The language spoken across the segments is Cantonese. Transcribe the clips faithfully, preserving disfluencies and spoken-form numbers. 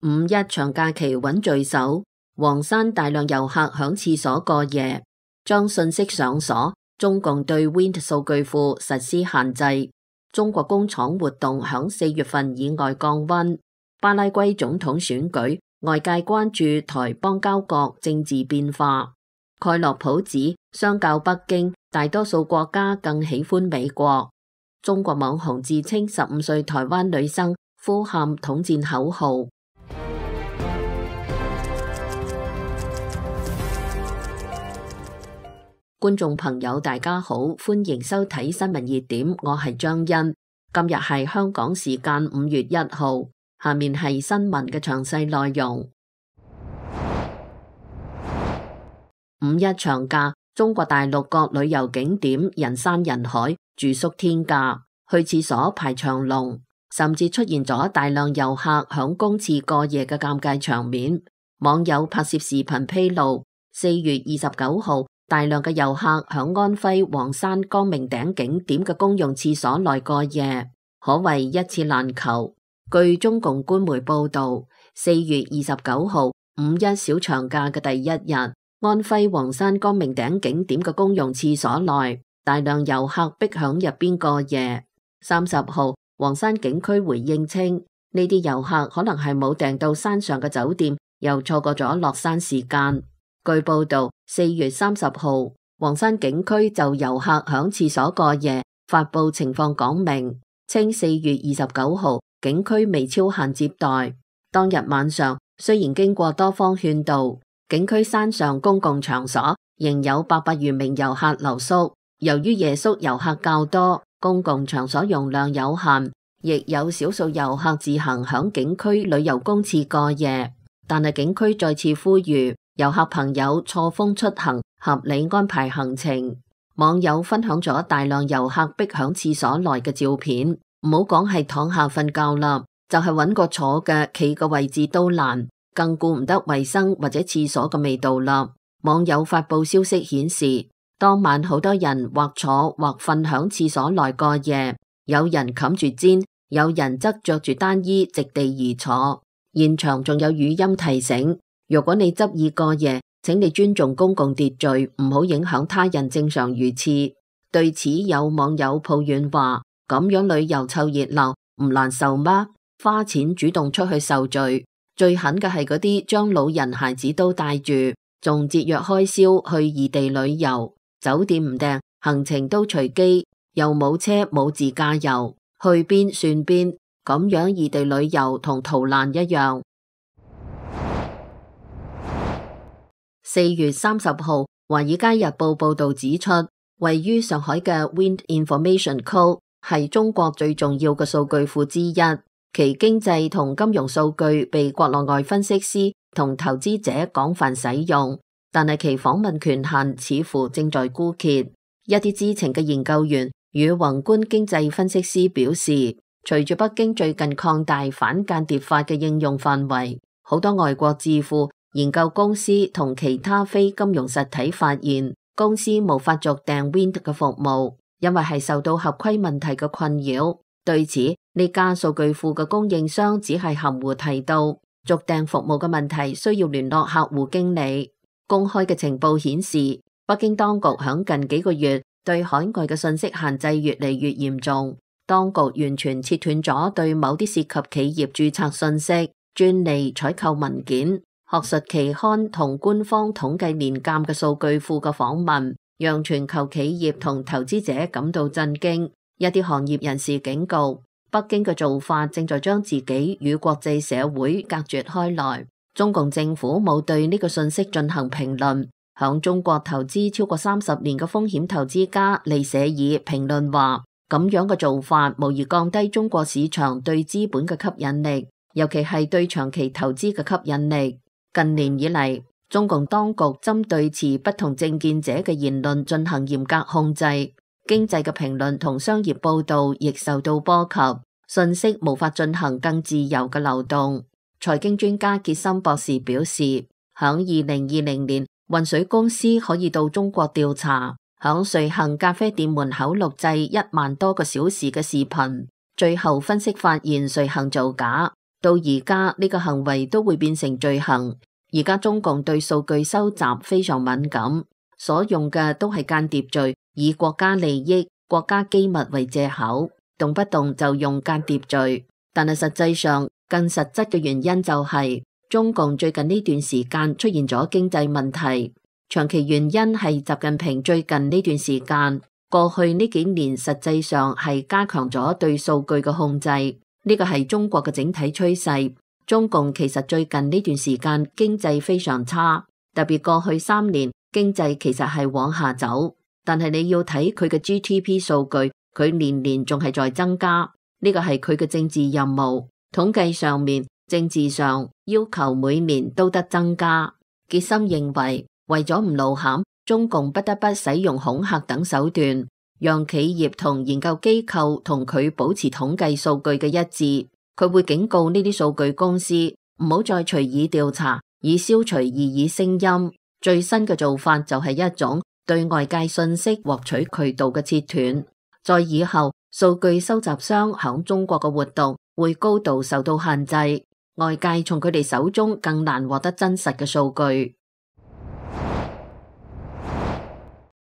五一長假期穩聚首，黃山大量遊客響廁所過夜，將信息上鎖。中共對 Wind 數據庫實施限制。中國工廠活動響四月份以外降溫。巴拉圭總統選舉，外界關注台邦交國政治變化。蓋洛普指，相較北京，大多數國家更喜歡美國。中國網紅自稱十五歲台灣女生，呼喊統戰口號。觀眾朋友大家好，歡迎收睇新聞熱點，我係張欣。今日係香港時間五月一號，下面係新聞嘅詳細內容。五一長假，中國大陸各旅遊景點人山人海，住宿天價，去廁所排長龍，甚至出現咗大量遊客響公廁過夜嘅尷尬場面。網友拍攝視頻披露，四月二十九號，大量嘅遊客響安徽黃山光明頂景點嘅公用廁所內過夜，可謂一次難求。據中共官媒報道，四月二十九號五一小長假嘅第一日，安徽黃山光明頂景點嘅公用廁所內，大量遊客逼響入邊過夜。三十號，黃山景區回應稱，呢啲遊客可能係冇訂到山上嘅酒店，又錯過咗落山時間。據報道，四月三十號，黃山景區就遊客響廁所過夜，發布情況講明，稱四月二十九號景區未超限接待。當日晚上，雖然經過多方勸導，景區山上公共場所仍有八百餘名遊客留宿。由於夜宿遊客較多，公共場所容量有限，亦有少數遊客自行響景區旅遊公廁過夜。但係景區再次呼籲遊客朋友錯峰出行，合理安排行程。網友分享咗大量遊客逼響廁所內嘅照片，唔好講係躺下瞓覺啦，就係揾個坐嘅企嘅位置都難，更顧唔得衛生或者廁所嘅味道啦。網友發布消息顯示，當晚好多人或坐或瞓響廁所內過夜，有人冚住氈，有人則着住單衣席地而坐。現場仲有語音提醒，如果你執意過夜，請你尊重公共秩序，唔好影響他人正常如廁。對此有網友抱怨話，咁樣旅遊湊熱鬧唔難受嗎？花錢主動出去受罪，最狠嘅係嗰啲將老人孩子都帶住，仲節約開銷去異地旅遊，酒店唔訂，行程都隨機，又冇車冇自駕遊，去邊算邊，咁樣異地旅遊同逃難一樣。四月三十號，華爾街日報報道指出，位於上海嘅 Wind Information Code 係中國最重要嘅數據庫之一，其經濟同金融數據被國內外分析師同投資者廣泛使用，但係其訪問權限似乎正在枯竭。一啲知情嘅研究員與宏觀經濟分析師表示，隨住北京最近擴大反間諜法嘅應用範圍，好多外國智庫、研究公司同其他非金融實體發現，公司無法續訂 Wind 嘅服務，因為係受到合規問題嘅困擾。對此，呢家數據庫嘅供應商只係含糊提到，續訂服務嘅問題需要聯絡客戶經理。公開嘅情報顯示，北京當局響近幾個月對海外嘅信息限制越嚟越嚴重，當局完全切斷咗對某啲涉及企業註冊信息、專利、採購文件、學術期刊同官方統計年鑑嘅數據庫嘅訪問，讓全球企業同投資者感到震驚。一啲行業人士警告，北京嘅做法正在將自己與國際社會隔絕開來。中共政府冇對呢個信息進行評論。響中國投資超過三十年嘅風險投資家利舍爾評論話，咁樣嘅做法無疑降低中國市場對資本嘅吸引力，尤其係對長期投資嘅吸引力。近年以嚟，中共當局針對持不同政見者嘅言論進行嚴格控制，經濟嘅評論同商業報道亦受到波及，信息無法進行更自由嘅流動。財經專家傑森博士表示，響二零二零年，渾水公司可以到中國調查，響瑞幸咖啡店門口錄製一萬多個小時嘅視頻，最後分析發現瑞幸造假。到而家呢個行為都會變成罪行。而家中共對數據收集非常敏感，所用嘅都係間諜罪，以國家利益、國家機密為借口，動不動就用間諜罪。但係實際上更實質嘅原因就係、是、中共最近呢段時間出現咗經濟問題，長期原因係習近平最近呢段時間過去呢幾年實際上係加強咗對數據嘅控制，呢個係中國嘅整體趨勢。中共其實最近呢段時間經濟非常差，特別過去三年經濟其實係往下走，但係你要睇佢嘅 G D P 數據，佢年年仲係在增加，呢個係佢嘅政治任務。統計上面、政治上要求每年都得增加。傑森認為，為咗唔露餡，中共不得不使用恐嚇等手段，讓企業同研究機構同佢保持統計數據嘅一致。佢會警告呢啲數據公司唔好再隨意調查，以消除異議聲音。最新嘅做法就係一種對外界信息獲取渠道嘅切斷。在以後，數據收集商響中國嘅活動會高度受到限制，外界從佢哋手中更難獲得真實嘅數據。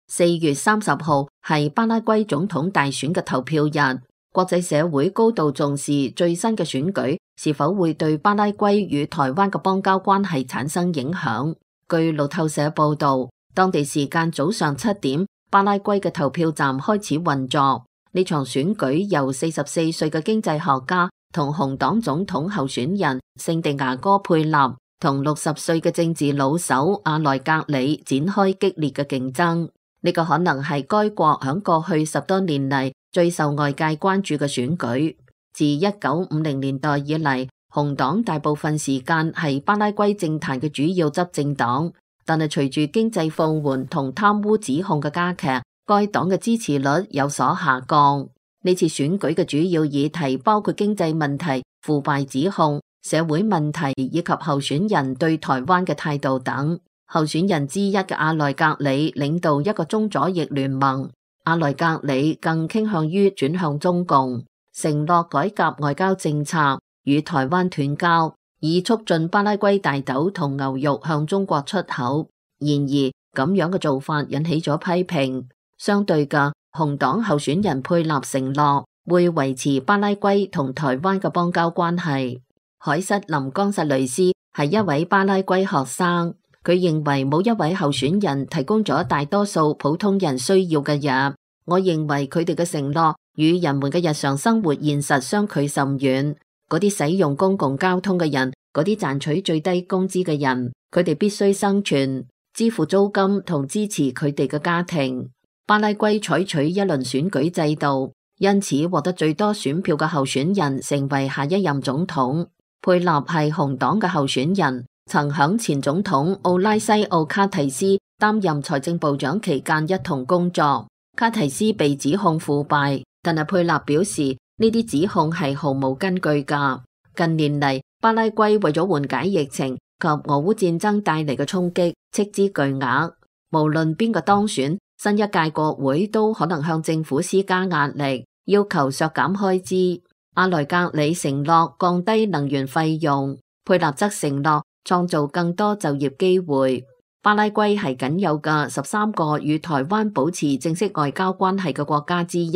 四月三十號係巴拉圭總統大選嘅投票日。國際社會高度重視最新嘅選舉是否會對巴拉圭與台灣嘅邦交關係產生影響。據路透社報道，當地時間早上七點，巴拉圭嘅投票站開始運作。呢場選舉由四十四歲嘅經濟學家同紅黨總統候選人聖地牙哥佩納同六十歲嘅政治老手阿萊格里展開激烈嘅競爭。呢個可能係該國響過去十多年嚟最受外界關注嘅選舉。自一九五零年代以嚟，紅黨大部分時間係巴拉圭政壇嘅主要執政黨，但係隨住經濟放緩同貪污指控嘅加劇，該黨嘅支持率有所下降。呢次選舉嘅主要議題包括經濟問題、腐敗指控、社會問題以及候選人對台灣嘅態度等。候選人之一嘅阿萊格里領導一個中左翼聯盟。阿萊格里更傾向於轉向中共，承諾改革外交政策，與台灣斷交，以促進巴拉圭大豆同牛肉向中國出口。然而，咁樣嘅做法引起咗批評。相對嘅，紅黨候選人佩納承諾會維持巴拉圭同台灣嘅邦交關係。凱瑟琳岡薩雷斯係一位巴拉圭學生。佢認為冇一位候選人提供咗大多數普通人需要嘅嘢。我認為佢哋嘅承諾與人們嘅日常生活現實相距甚遠。嗰啲使用公共交通嘅人，嗰啲賺取最低工資嘅人，佢哋必須生存、支付租金同支持佢哋嘅家庭。巴拉圭採取一輪選舉制度，因此獲得最多選票嘅候選人成為下一任總統。佩納係紅黨嘅候選人。曾響前總統奧拉西奧卡提斯擔任財政部長期間一同工作。卡提斯被指控腐敗，但係佩納表示呢啲指控係毫無根據㗎。近年嚟，巴拉圭為咗緩解疫情及俄烏戰爭帶嚟嘅衝擊，斥資巨額。無論邊個當選，新一屆國會都可能向政府施加壓力，要求削減開支。阿萊格里承諾降低能源費用，佩納則承諾創造更多就業機會。巴拉圭係僅有嘅十三個與台灣保持正式外交關係嘅國家之一。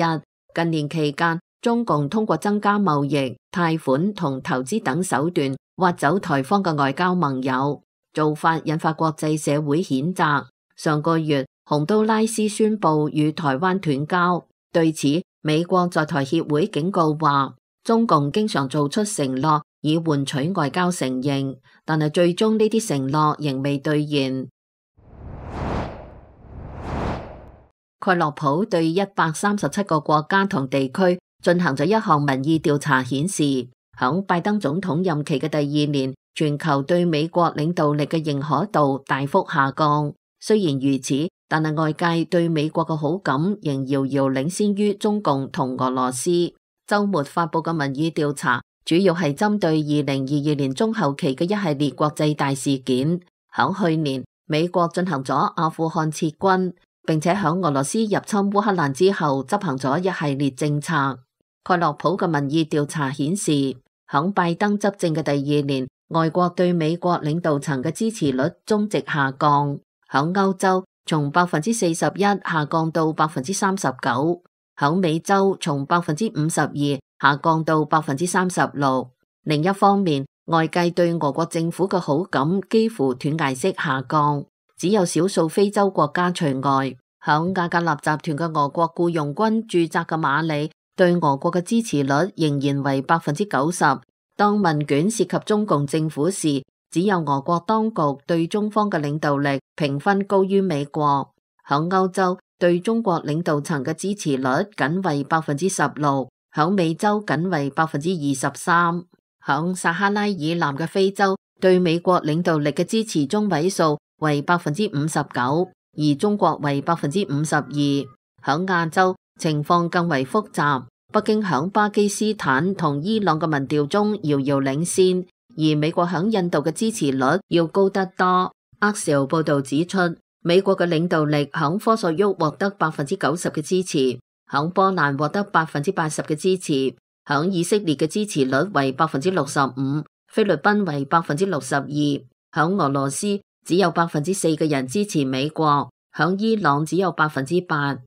近年期間，中共通過增加貿易、貸款同投資等手段挖走台方嘅外交盟友，做法引發國際社會譴責。上個月，洪都拉斯宣布與台灣斷交。對此，美國在台協會警告話，中共經常做出承諾以換取外交承認，但係最終呢啲承諾仍未兌現。蓋洛普對一百三十七個國家同地區進行咗一項民意調查，顯示響拜登總統任期嘅第二年，全球對美國領導力嘅認可度大幅下降。雖然如此，但係外界對美國嘅好感仍遙遙領先於中共同俄羅斯。週末發佈嘅民意調查主要係針對二零二二年中後期嘅一系列國際大事件。響去年，美國進行咗阿富汗撤軍，並且響俄羅斯入侵烏克蘭之後執行咗一系列政策。蓋洛普嘅民意調查顯示，響拜登執政嘅第二年，外國對美國領導層嘅支持率中值下降。響歐洲，從百分之四十一下降到百分之三十九；響美洲，從百分之五十二下降到百分之三十六。另一方面，外界對俄國政府嘅好感幾乎斷崖式下降，只有少數非洲國家除外。響瓦格納集團嘅俄國僱傭軍駐紮嘅馬里，對俄國嘅支持率仍然為百分之九十。當問卷涉及中共政府時，只有俄國當局對中方嘅領導力評分高於美國。響歐洲，對中國領導層嘅支持率僅為百分之十六，響美洲僅為百分之二十三。響撒哈拉以南嘅非洲，對美國領導力嘅支持中位數為百分之五十九，而中國為百分之五十二。響亞洲，情況更為複雜。北京響巴基斯坦同伊朗嘅民調中遙遙領先，而美國響印度嘅支持率要高得多。阿紹報道指出，美國嘅領導力響科索沃獲得百分之九十嘅支持，響波蘭獲得百分之八十嘅支持，響以色列嘅支持率為百分之六十五，菲律賓為百分之六十二，響俄羅斯只有百分之四嘅人支持美國，響伊朗只有百分之八。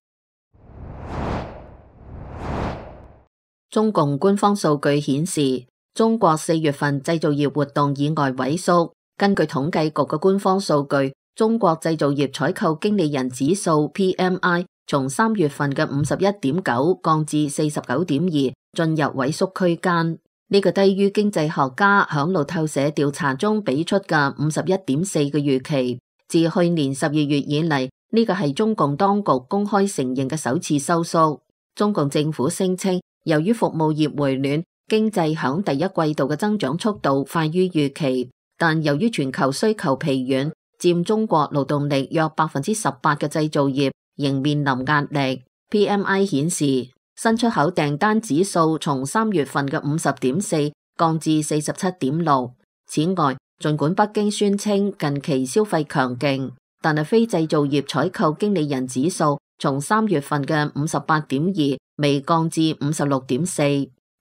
中共官方數據顯示，中國四月份製造業活動意外萎縮。根據統計局嘅官方數據，中國製造業採購經理人指數 P M I 從三月份嘅五十一點九降至四十九點二，進入萎縮區間。呢個低於經濟學家響路透社調查中俾出嘅五十一點四嘅預期。自去年十二月以嚟，呢個係中共當局公開承認嘅首次收縮。中共政府聲稱，由於服務業回暖，經濟響第一季度嘅增長速度快於預期，但由於全球需求疲軟，佔中國勞動力約百分之十八嘅製造業仍面臨壓力。P M I 顯示，新出口訂單指數從三月份嘅五十點四降至四十七點六。此外，儘管北京宣稱近期消費強勁，但係非製造業採購經理人指數從三月份嘅五十八點二微降至五十六點四。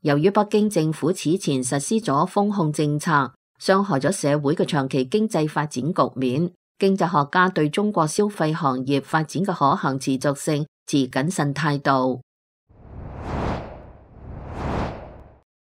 由於北京政府此前實施咗封控政策，傷害咗社會嘅長期經濟發展局面，經濟學家對中國消費行業發展嘅可行持續性持謹慎態度。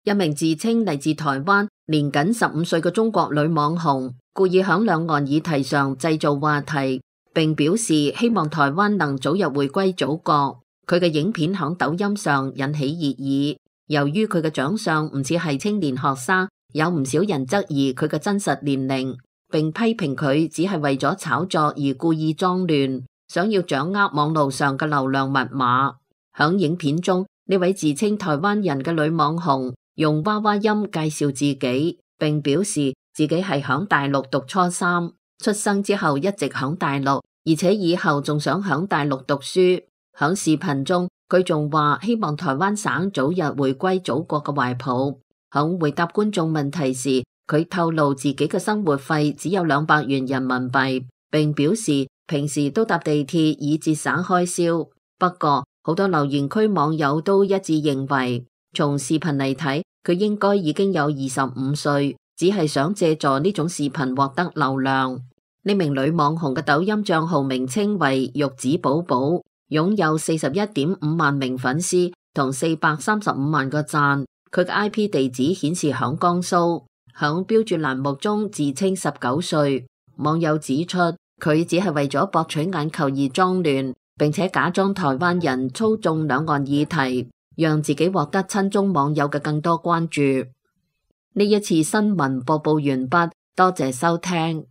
一名自稱嚟自台灣、年僅十五歲嘅中國女網紅，故意響兩岸議題上製造話題，並表示希望台灣能早日回歸祖國。佢嘅影片響抖音上引起熱議。由於佢嘅長相唔似係青年學生，有唔少人質疑佢嘅真實年齡，並批評佢只係為咗炒作而故意裝亂，想要掌握網路上嘅流量密碼。響影片中，呢位自稱台灣人嘅女網紅用娃娃音介紹自己，並表示自己係響大陸讀初三，出生之後一直響大陸，而且以後仲想響大陸讀書。響視頻中，佢仲話希望台灣省早日回歸祖國嘅懷抱。響回答觀眾問題時，佢透露自己嘅生活費只有兩百元人民幣，並表示平時都搭地鐵以節省開銷。不過，好多留言區網友都一致認為，從視頻嚟睇，佢應該已經有二十五歲，只係想借助呢種視頻獲得流量。呢名女網紅嘅抖音賬號名稱為玉子寶寶，擁有四十一點五萬名粉絲同四百三十五萬個讚。佢嘅 I P 地址顯示響江蘇，響標注欄目中自稱十九歲。網友指出，佢只係為咗博取眼球而裝亂，並且假裝台灣人操縱兩岸議題，讓自己獲得親中網友嘅更多關注。呢一次新聞播報完畢，多謝收聽。